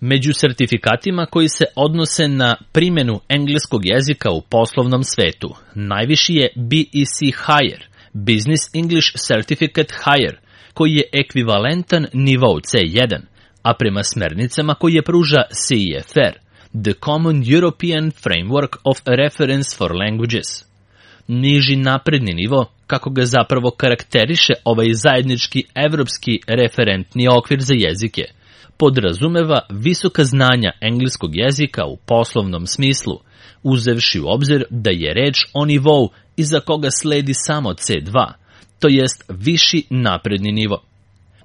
Među sertifikatima koji se odnose na primjenu engleskog jezika u poslovnom svetu, najviši je BEC Higher, Business English Certificate Higher, koji je ekvivalentan nivou C1, a prema smernicama koje pruža CEFR, The Common European Framework of Reference for Languages. Niži napredni nivo, kako ga zapravo karakteriše ovaj zajednički evropski referentni okvir za jezike, podrazumeva visoka znanja engleskog jezika u poslovnom smislu, uzevši u obzir da je reč o nivou iza koga sledi samo C2, to jest viši napredni nivo.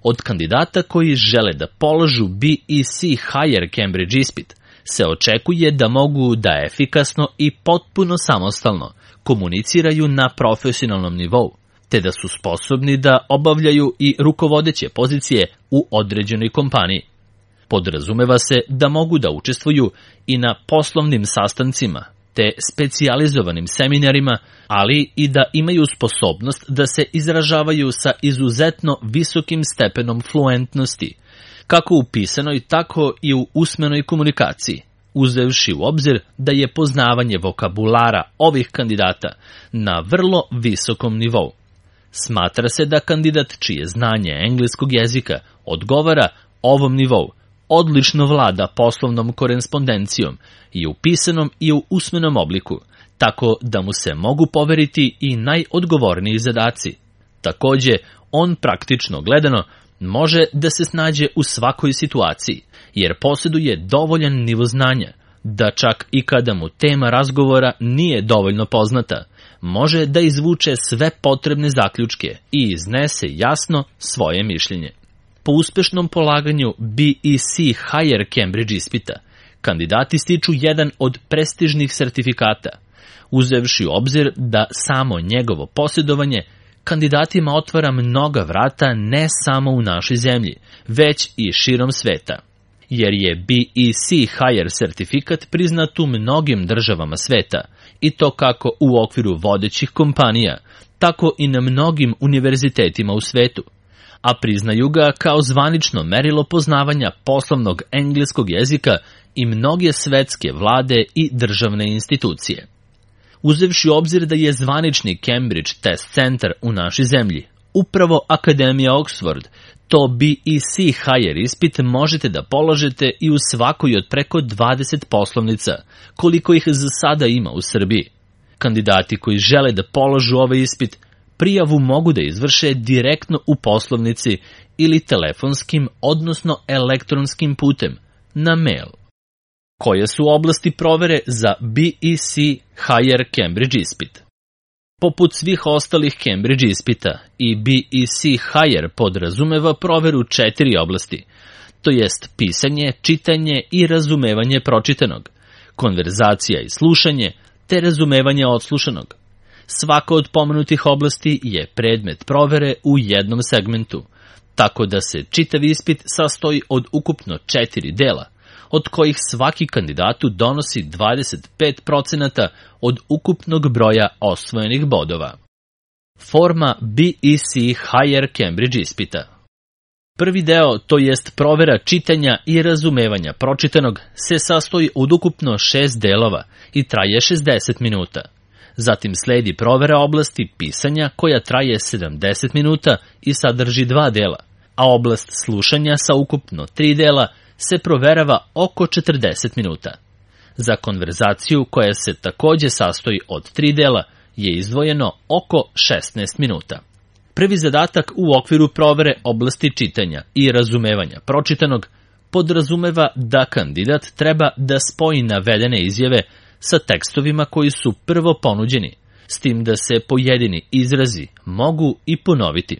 Od kandidata koji žele da polažu BEC Higher Cambridge ispit se očekuje da mogu da efikasno i potpuno samostalno komuniciraju na profesionalnom nivou, te da su sposobni da obavljaju i rukovodeće pozicije u određenoj kompaniji. Podrazumeva se da mogu da učestvuju i na poslovnim sastancima, te specijalizovanim seminarima, ali i da imaju sposobnost da se izražavaju sa izuzetno visokim stepenom fluentnosti, kako u pisanoj, tako i u usmenoj komunikaciji, uzevši u obzir da je poznavanje vokabulara ovih kandidata na vrlo visokom nivou. Smatra se da kandidat čije znanje engleskog jezika odgovara ovom nivou odlično vlada poslovnom korespondencijom i u pisanom i u usmenom obliku, tako da mu se mogu poveriti i najodgovorniji zadaci. Takođe, on praktično gledano može da se snađe u svakoj situaciji, jer posjeduje dovoljan nivo znanja, da čak i kada mu tema razgovora nije dovoljno poznata, može da izvuče sve potrebne zaključke i iznese jasno svoje mišljenje. Po uspešnom polaganju BEC Higher Cambridge ispita, kandidati stiču jedan od prestižnih sertifikata, uzevši u obzir da samo njegovo posjedovanje kandidatima otvara mnoga vrata ne samo u našoj zemlji, već i širom sveta. Jer je BEC Higher sertifikat priznat u mnogim državama sveta, i to kako u okviru vodećih kompanija, tako i na mnogim univerzitetima u svetu, a priznaju ga kao zvanično merilo poznavanja poslovnog engleskog jezika i mnoge svetske vlade i državne institucije. Uzevši u obzir da je zvanični Cambridge Test Center u našoj zemlji upravo Akademija Oxford, to BEC Higher ispit možete da položite i u svakoj od preko 20 poslovnica, koliko ih za sada ima u Srbiji. Kandidati koji žele da položu ovaj ispit prijavu mogu da izvrše direktno u poslovnici ili telefonskim, odnosno elektronskim putem, na mail. Koje su oblasti provere za BEC Higher Cambridge ispit? Poput svih ostalih Cambridge ispita, i BEC Higher podrazumeva proveru 4 oblasti, to jest pisanje, čitanje i razumevanje pročitanog, konverzacija i slušanje, te razumevanje odslušanog. Svaka od pomenutih oblasti je predmet provere u jednom segmentu, tako da se čitav ispit sastoji od ukupno 4 dela, od kojih svaki kandidatu donosi 25% od ukupnog broja osvojenih bodova. Forma BEC Higher Cambridge ispita. Prvi deo, to jest provera čitanja i razumevanja pročitanog, se sastoji od ukupno 6 delova i traje 60 minuta. Zatim sledi provera oblasti pisanja koja traje 70 minuta i sadrži 2 dela, a oblast slušanja sa ukupno 3 dela se proverava oko 40 minuta. Za konverzaciju, koja se takođe sastoji od 3 dela, je izdvojeno oko 16 minuta. Prvi zadatak u okviru provere oblasti čitanja i razumevanja pročitanog podrazumeva da kandidat treba da spoji navedene izjave sa tekstovima koji su prvo ponuđeni, s tim da se pojedini izrazi mogu i ponoviti.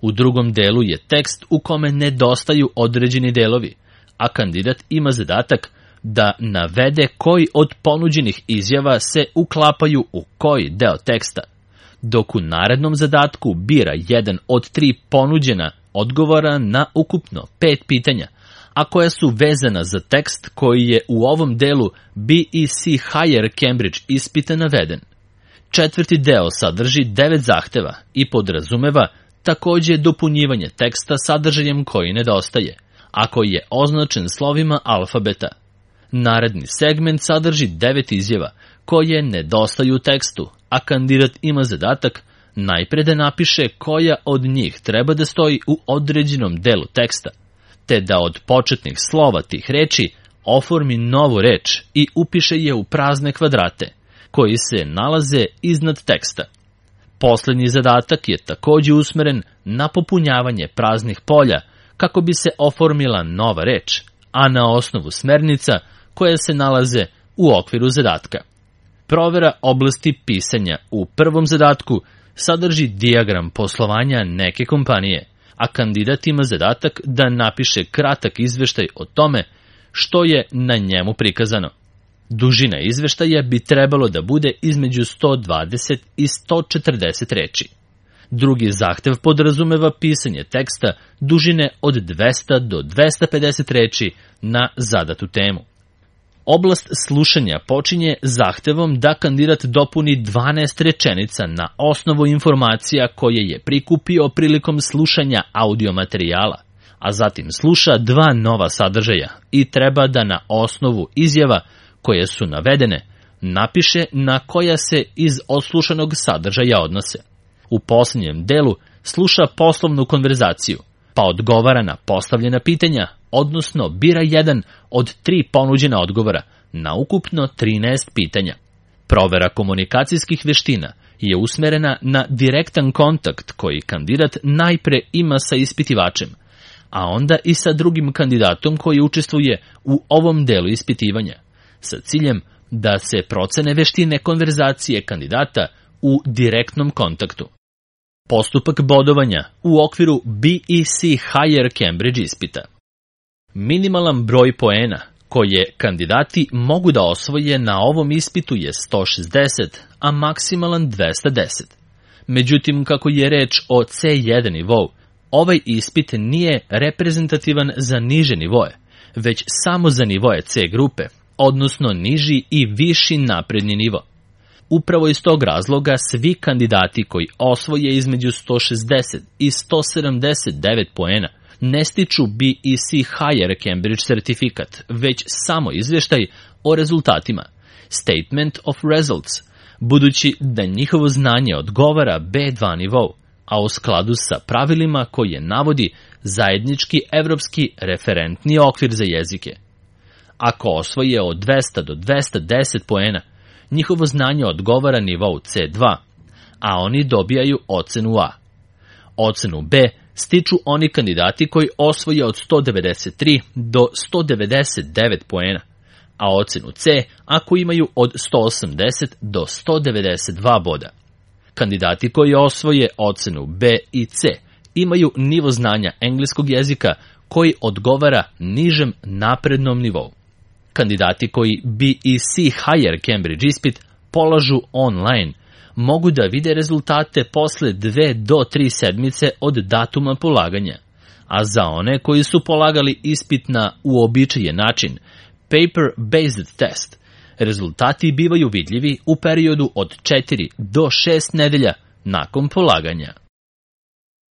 U drugom delu je tekst u kome nedostaju određeni delovi, a kandidat ima zadatak da navede koji od ponuđenih izjava se uklapaju u koji deo teksta, dok u narednom zadatku bira jedan od 3 ponuđena odgovora na ukupno 5 pitanja, a koja su vezana za tekst koji je u ovom delu BEC Higher Cambridge ispita naveden. Četvrti deo sadrži 9 zahteva i podrazumeva takođe dopunjivanje teksta sadržajem koji nedostaje, ako je označen slovima alfabeta. Naredni segment sadrži 9 izjava koje nedostaju u tekstu, a kandidat ima zadatak najpre da napiše koja od njih treba da stoji u određenom delu teksta, te da od početnih slova tih reči oformi novu reč i upiše je u prazne kvadrate, koji se nalaze iznad teksta. Poslednji zadatak je takođe usmeren na popunjavanje praznih polja kako bi se oformila nova reč, a na osnovu smernica koje se nalaze u okviru zadatka. Provera oblasti pisanja u prvom zadatku sadrži dijagram poslovanja neke kompanije, a kandidat ima zadatak da napiše kratak izveštaj o tome što je na njemu prikazano. Dužina izveštaja bi trebalo da bude između 120 i 140 reči. Drugi zahtev podrazumeva pisanje teksta dužine od 200 do 250 reči na zadatu temu. Oblast slušanja počinje zahtevom da kandidat dopuni 12 rečenica na osnovu informacija koje je prikupio prilikom slušanja audio materijala, a zatim sluša 2 nova sadržaja i treba da na osnovu izjava koje su navedene napiše na koja se iz odslušanog sadržaja odnose. U posljednjem delu sluša poslovnu konverzaciju, pa odgovara na postavljena pitanja, odnosno bira jedan od 3 ponuđena odgovora na ukupno 13 pitanja. Provera komunikacijskih veština je usmerena na direktan kontakt koji kandidat najpre ima sa ispitivačem, a onda i sa drugim kandidatom koji učestvuje u ovom delu ispitivanja, sa ciljem da se procene veštine konverzacije kandidata u direktnom kontaktu. Postupak bodovanja u okviru BEC Higher Cambridge ispita. Minimalan broj poena koje kandidati mogu da osvoje na ovom ispitu je 160, a maksimalan 210. Međutim, kako je reč o C1 nivou, ovaj ispit nije reprezentativan za niže nivoe, već samo za nivoe C grupe, odnosno niži i viši napredni nivo. Upravo iz tog razloga svi kandidati koji osvoje između 160 i 179 poena ne stiču BEC Higher Cambridge certifikat, već samo izveštaj o rezultatima, Statement of Results, budući da njihovo znanje odgovara B2 nivou, a u skladu sa pravilima koje navodi zajednički evropski referentni okvir za jezike. Ako osvoje od 200 do 210 poena, njihovo znanje odgovara nivou C2, a oni dobijaju ocenu A. Ocenu B stiču oni kandidati koji osvoje od 193 do 199 poena, a ocenu C ako imaju od 180 do 192 boda. Kandidati koji osvoje ocenu B i C imaju nivo znanja engleskog jezika koji odgovara nižem naprednom nivou. Kandidati koji BEC Higher Cambridge ispit polažu online mogu da vide rezultate posle 2 do 3 sedmice od datuma polaganja, a za one koji su polagali ispit na uobičajen način, paper-based test, rezultati bivaju vidljivi u periodu od 4 do 6 nedelja nakon polaganja.